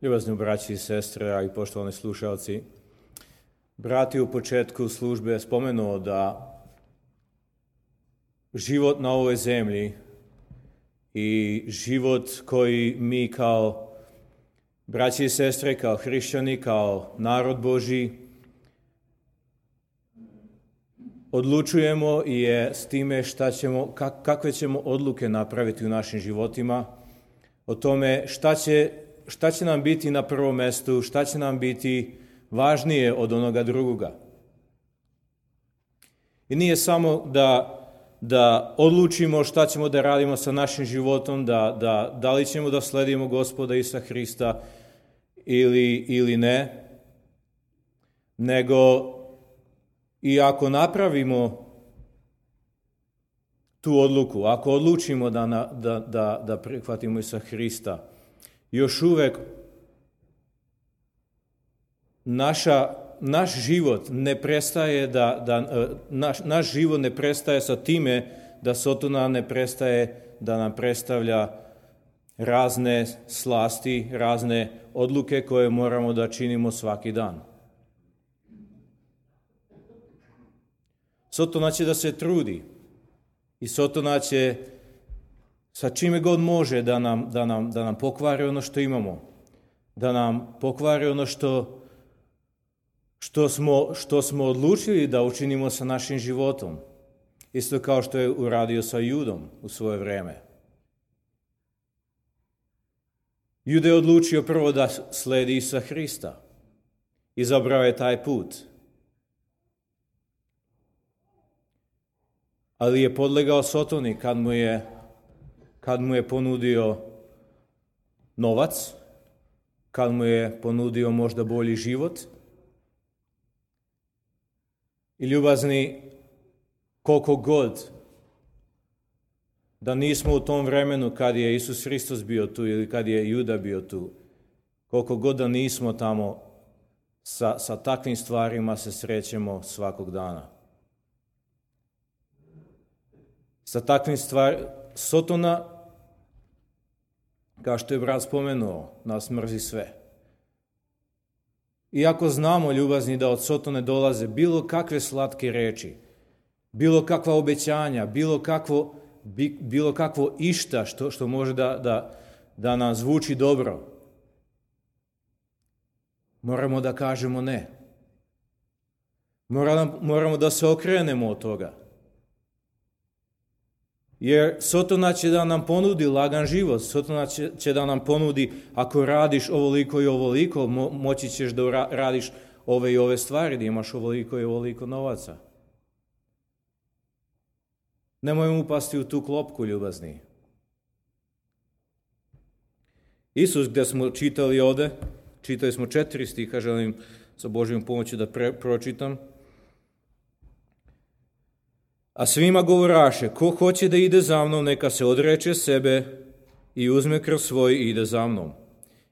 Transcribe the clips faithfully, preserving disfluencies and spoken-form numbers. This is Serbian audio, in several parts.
Ljubazni braći i sestre, a i poštovani slušalci, brat je u početku službe spomenuo da život na ovoj zemlji i život koji mi kao braći i sestre, kao hrišćani, kao narod Božji odlučujemo i je s time šta ćemo, kak, kakve ćemo odluke napraviti u našim životima, o tome šta će, šta će nam biti na prvom mjestu, šta će nam biti važnije od onoga drugoga. I nije samo da, da odlučimo šta ćemo da radimo sa našim životom, da, da, da li ćemo da sledimo Gospoda Isusa Hrista ili, ili ne, nego i ako napravimo tu odluku, ako odlučimo da, da, da, da prihvatimo Isusa Hrista, još uvek naša, naš život ne prestaje da, da naš, naš život ne prestaje sa time da Sotona ne prestaje da nam predstavlja razne slasti, razne odluke koje moramo da činimo svaki dan. Sotona će da se trudi i Sotona će sa čime god može da nam, da nam, da nam pokvari ono što imamo, da nam pokvari ono što, što, smo, što smo odlučili da učinimo sa našim životom. Isto kao što je uradio sa Judom u svoje vreme. Juda je odlučio prvo da sledi Isusa Hrista. Izabrao je taj put. Ali je podlegao Sotoni kad mu je, kad mu je ponudio novac, kad mu je ponudio možda bolji život. I ljubazni, koliko god da nismo u tom vremenu kad je Isus Hristos bio tu ili kad je Juda bio tu, koliko god da nismo tamo, sa, sa takvim stvarima se srećemo svakog dana. Sa takvim stvarima, Sotona, kao što je brat spomenuo, nas mrzi sve. Iako znamo, ljubazni, da od Sotone dolaze bilo kakve slatke reči, bilo kakva obećanja, bilo kakvo, bilo kakvo išta što, što može da, da, da nam zvuči dobro, moramo da kažemo ne. Moramo, moramo da se okrenemo od toga. Jer Sotona će da nam ponudi lagan život, Sotona će, će da nam ponudi, ako radiš ovoliko i ovoliko, mo, moći ćeš da radiš ove i ove stvari, da imaš ovoliko i ovoliko novaca. Nemojmo upasti u tu klopku, ljubazni. Isus, gdje smo čitali ovde, čitali smo četiri stiha, želim sa Božjom pomoći da pre, pročitam. A svima govoraše, ko hoće da ide za mnom, neka se odreče sebe i uzme krv svoj i ide za mnom.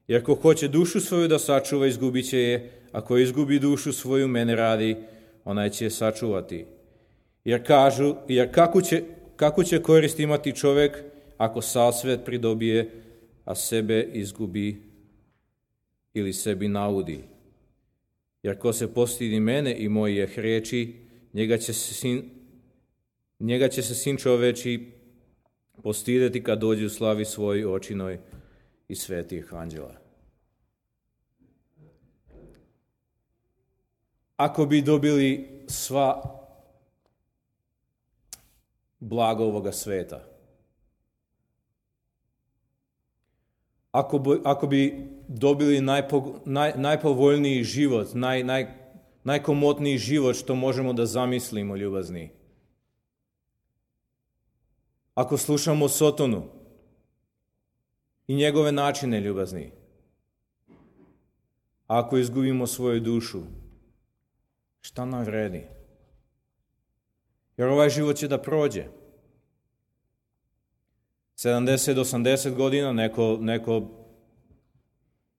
Jer ko hoće dušu svoju da sačuva, izgubit će je, a ko izgubi dušu svoju mene radi, onaj će je sačuvati. Jer kažu, jer kako će, kako će korist imati čovjek ako sav svet pridobije, a sebe izgubi ili sebi naudi. Jer ko se postidi mene i mojih riječi, njega će se sin Njega će se sin čoveči postideti kad dođe u slavi svoj očinoj i svetih anđela. Ako bi dobili sva blaga ovoga sveta, ako bi, ako bi dobili najpo, naj, najpovoljniji život, naj, naj, najkomotniji život što možemo da zamislimo, ljubazni, ako slušamo Sotonu i njegove načine, ljubazni, ako izgubimo svoju dušu, šta nam vredi? Jer ovaj život će da prođe. sedamdeset do osamdeset godina, neko, neko,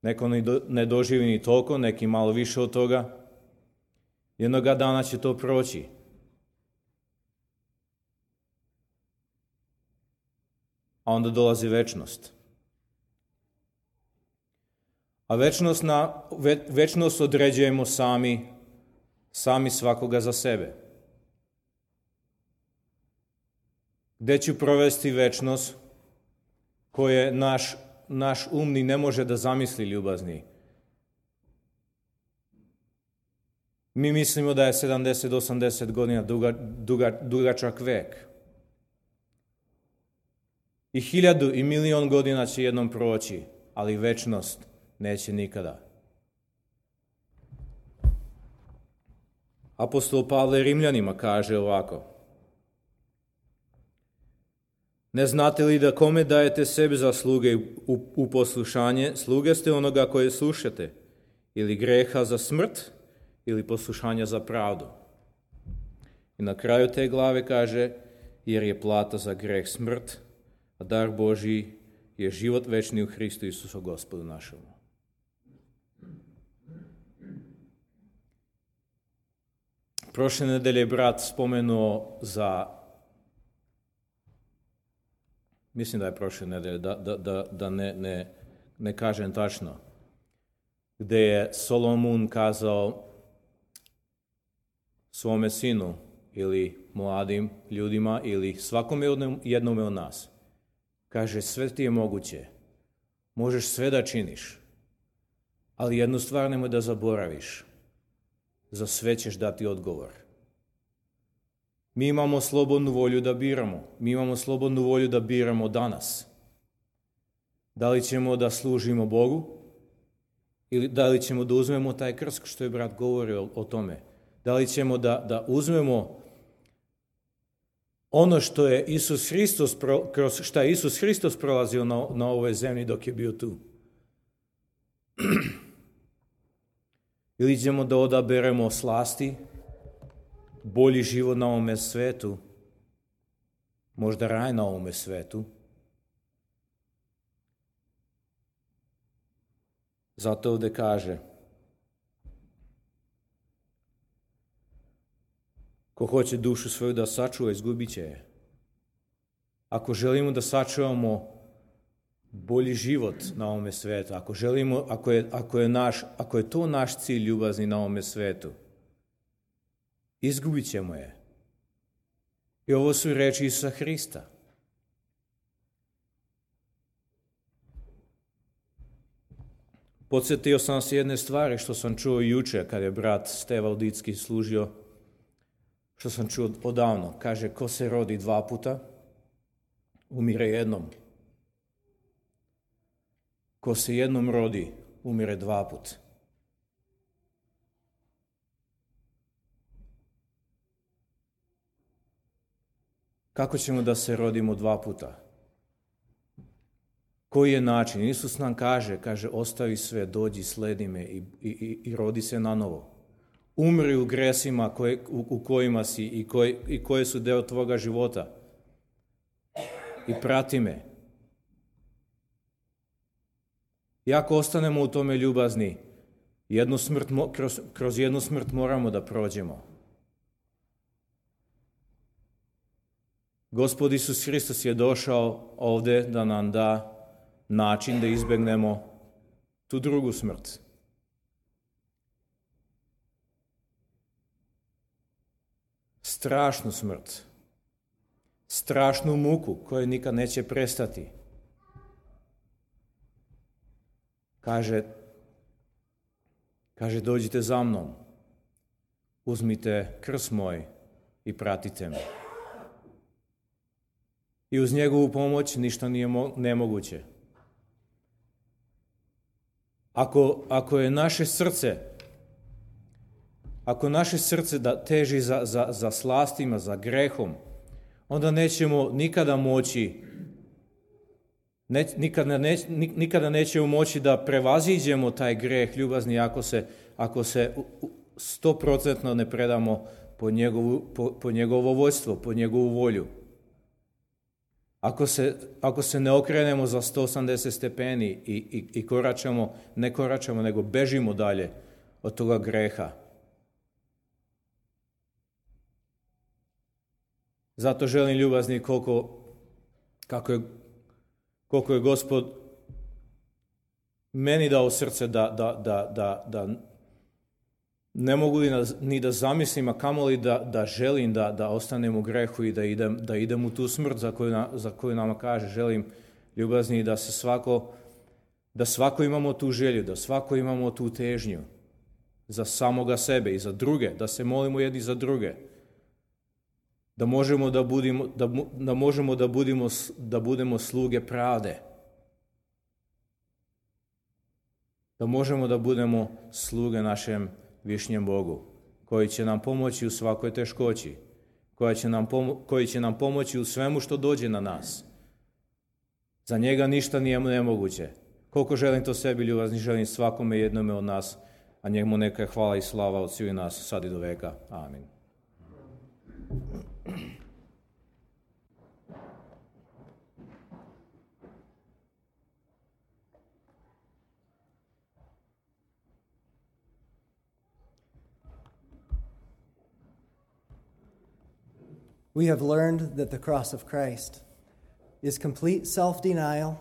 neko ne doživi ni toliko, neki malo više od toga. Jednoga dana će to proći. A onda dolazi večnost. A večnost, na, ve, večnost određujemo sami, sami svakoga za sebe. Gde ću provesti večnost koje naš, naš umni ne može da zamisli, ljubazni? Mi mislimo da je sedamdeset do osamdeset godina duga, duga, dugačak vek. I hiljadu i milion godina će jednom proći, ali večnost neće nikada. Apostol Pavle Rimljanima kaže ovako: ne znate li da kome dajete sebi za sluge u, u poslušanje, sluge ste onoga koje slušate, ili greha za smrt, ili poslušanja za pravdu. I na kraju te glave kaže: jer je plata za greh smrt, a dar Božji je život večni u Hristu Isusu Gospodu našemu. Prošle nedelje je brat spomenuo za, mislim da je prošle nedelje, da, da, da, da ne, ne, ne kažem tačno, gde je Solomon kazao svome sinu ili mladim ljudima ili svakome jednome od nas. Kaže, sve ti je moguće, možeš sve da činiš, ali jednu stvar nemoj da zaboraviš, za sve ćeš dati odgovor. Mi imamo slobodnu volju da biramo, mi imamo slobodnu volju da biramo danas. Da li ćemo da služimo Bogu ili da li ćemo da uzmemo taj krst, što je brat govorio o tome. Da li ćemo da, da uzmemo ono što je Isus Hristos, kroz šta je Isus Hristos prolazio na, na ovoj zemlji dok je bio tu. Ili ćemo da odaberemo slasti, bolji život na ovome svetu, možda raj na ovome svetu. Zato ovde kaže: ko hoće dušu svoju da sačuva, izgubit će je. Ako želimo da sačuvamo bolji život na ovome svetu, ako želimo, ako je, ako je, naš, ako je to naš cilj ljubazni na ovome svetu, izgubit ćemo je. I ovo su reči Isusa Hrista. Podsjetio sam se jedne stvari što sam čuo juče kad je brat Steva Udicki služio, što sam čuo odavno. Kaže, ko se rodi dva puta, umire jednom. Ko se jednom rodi, umire dva put. Kako ćemo da se rodimo dva puta? Koji je način? Isus nam kaže, kaže, ostavi sve, dođi, sledi me i, i, i rodi se na novo. Umri u gresima koje, u, u kojima si i, koj, i koje su deo tvoga života. I prati me. I ako ostanemo u tome ljubazni, jednu smrt, kroz, kroz jednu smrt moramo da prođemo. Gospod Isus Hristos je došao ovde da nam da način da izbegnemo tu drugu smrt. Strašnu smrt. Strašnu muku koja nikad neće prestati. Kaže, kaže, dođite za mnom, uzmite krst moj i pratite me. I uz njegovu pomoć ništa nije nemoguće. Ako, ako je naše srce, ako naše srce da teži za, za, za slastima, za grehom, onda nećemo nikada moći, ne, nikada, ne, nikada nećemo moći da prevaziđemo taj greh ljubazni ako se, ako se stoprocentno ne predamo po, njegovu, po, po njegovo vođstvo, po njegovu volju. Ako se, ako se ne okrenemo za sto osamdeset stepeni i, i, i koračamo, ne koračamo, nego bežimo dalje od toga greha. Zato želim ljubazni koliko, kako je, koliko je Gospod meni dao srce da, da, da, da, da ne mogu ni da zamislim, a kamoli da, da želim da, da ostanem u grehu i da idem, da idem u tu smrt za koju, na, za koju nama kaže. Želim, ljubazni, da se svako, da svako imamo tu želju, da svako imamo tu težnju za samoga sebe i za druge, da se molimo jedni za druge, da možemo da budemo, da, da možemo da budemo, da budemo sluge pravde, da možemo da budemo sluge našem višnjem Bogu, koji će nam pomoći u svakoj teškoći, koja će nam pomo- koji će nam pomoći u svemu što dođe na nas. Za njega ništa nije nemoguće. Koliko želim to sebi, ljubazni, želim svakome jednome od nas, a njemu neka je hvala i slava od svih nas, sad i do veka. Amin. We have learned that the cross of Christ is complete self-denial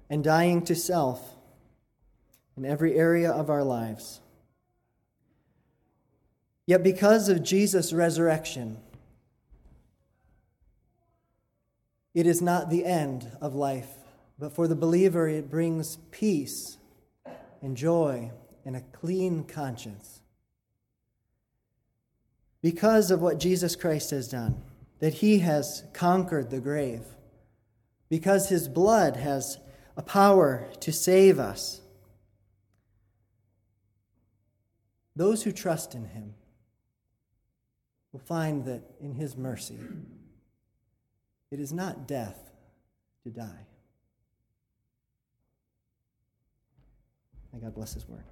and dying to self in every area of our lives. Yet because of Jesus' resurrection, it is not the end of life, but for the believer it brings peace and joy and a clean conscience. Because of what Jesus Christ has done, that he has conquered the grave, because his blood has a power to save us, those who trust in him will find that in his mercy, it is not death to die. May God bless his word.